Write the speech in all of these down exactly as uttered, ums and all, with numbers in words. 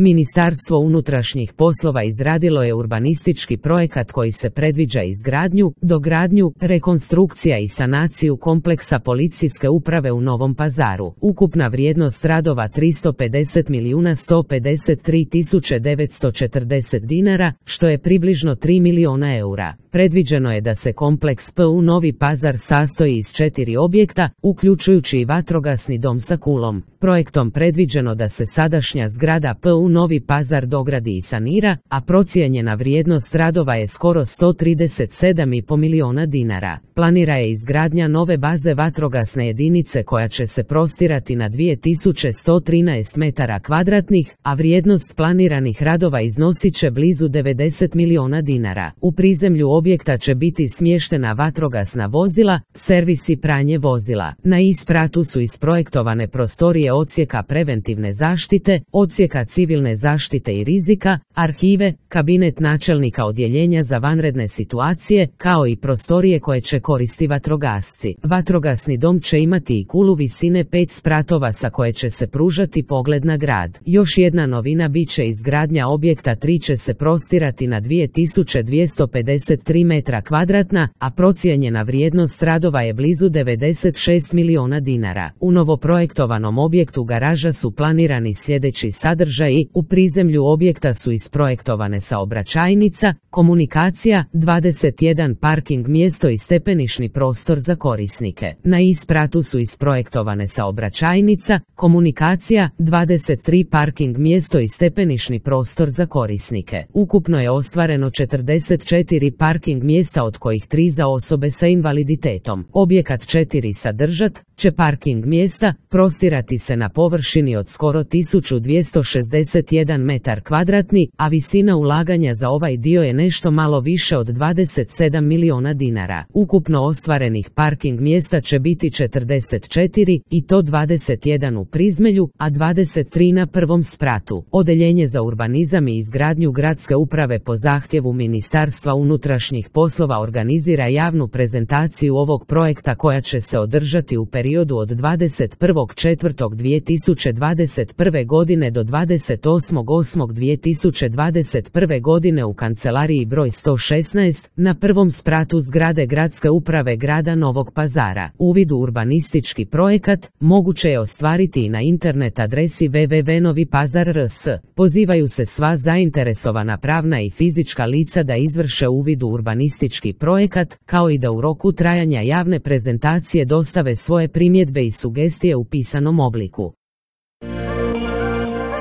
Ministarstvo unutrašnjih poslova izradilo je urbanistički projekat koji se predviđa izgradnju, dogradnju, rekonstrukcija i sanaciju kompleksa policijske uprave u Novom Pazaru. Ukupna vrijednost radova tristo pedeset milijuna sto pedeset tri tisuće devetsto četrdeset dinara, što je približno tri miliona eura. Predviđeno je da se kompleks P U Novi Pazar sastoji iz četiri objekta, uključujući i vatrogasni dom sa kulom. Projektom predviđeno da se sadašnja zgrada P U Novi Pazar dogradi i sanira, a procijenjena vrijednost radova je skoro sto trideset sedam i po miliona dinara. Planira je izgradnja nove baze vatrogasne jedinice koja će se prostirati na dvije tisuće sto trinaest metara kvadratnih, a vrijednost planiranih radova iznosit će blizu devedeset miliona dinara. U prizemlju objekta će biti smještena vatrogasna vozila, servis i pranje vozila. Na ispratu su isprojektovane prostorije odsjeka preventivne zaštite, odsjeka civilne zaštite i rizika, arhive, kabinet načelnika odjeljenja za vanredne situacije, kao i prostorije koje će koristiti vatrogasci. Vatrogasni dom će imati i kulu visine pet spratova sa koje će se pružati pogled na grad. Još jedna novina bit će izgradnja objekta tri će se prostirati na dvije tisuće dvjesto pedeset tri metra kvadratna, a procijenjena vrijednost radova je blizu devedeset šest miliona dinara. U novoprojektovanom objektu garaža su planirani sljedeći sadržaji: u prizemlju objekta su isprojektovane saobraćajnica, komunikacija, dvadeset jedan parking mjesto i stepenišni prostor za korisnike. Na ispratu su isprojektovane saobraćajnica, komunikacija, dvadeset tri parking mjesto i stepenišni prostor za korisnike. Ukupno je ostvareno četrdeset četiri parking mjesta, od kojih tri za osobe sa invaliditetom. Objekat četiri sadržat će parking mjesta, prostirati se na površini od skoro tisuću dvjesto šezdeset jedan metar kvadratni, a visina ulaganja za ovaj dio je nešto malo više od dvadeset sedam miliona dinara. Ukupno ostvarenih parking mjesta će biti četrdeset četiri, i to dvadeset jedan u prizmelju, a dvadeset tri na prvom spratu. Odeljenje za urbanizam i izgradnju gradske uprave po zahtjevu Ministarstva unutrašnjih poslova organizira javnu prezentaciju ovog projekta koja će se održati u periodu od dvadeset prvog četvrtog dvije tisuće dvadeset prve godine do dvadeset osmog osmog dvije tisuće dvadeset prve godine u kancelariji broj sto šesnaest na prvom spratu zgrade Gradske uprave grada Novog Pazara. Uvid u urbanistički projekat moguće je ostvariti i na internet adresi w w w tačka novi pazar tačka r s. Pozivaju se sva zainteresovana pravna i fizička lica da izvrše uvid u urbanistički projekat, kao i da u roku trajanja javne prezentacije dostave svoje primjedbe i sugestije u pisanom obliku.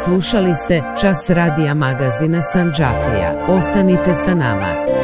Slušali ste Čas radija magazina Sandžaklija. Ostanite sa nama.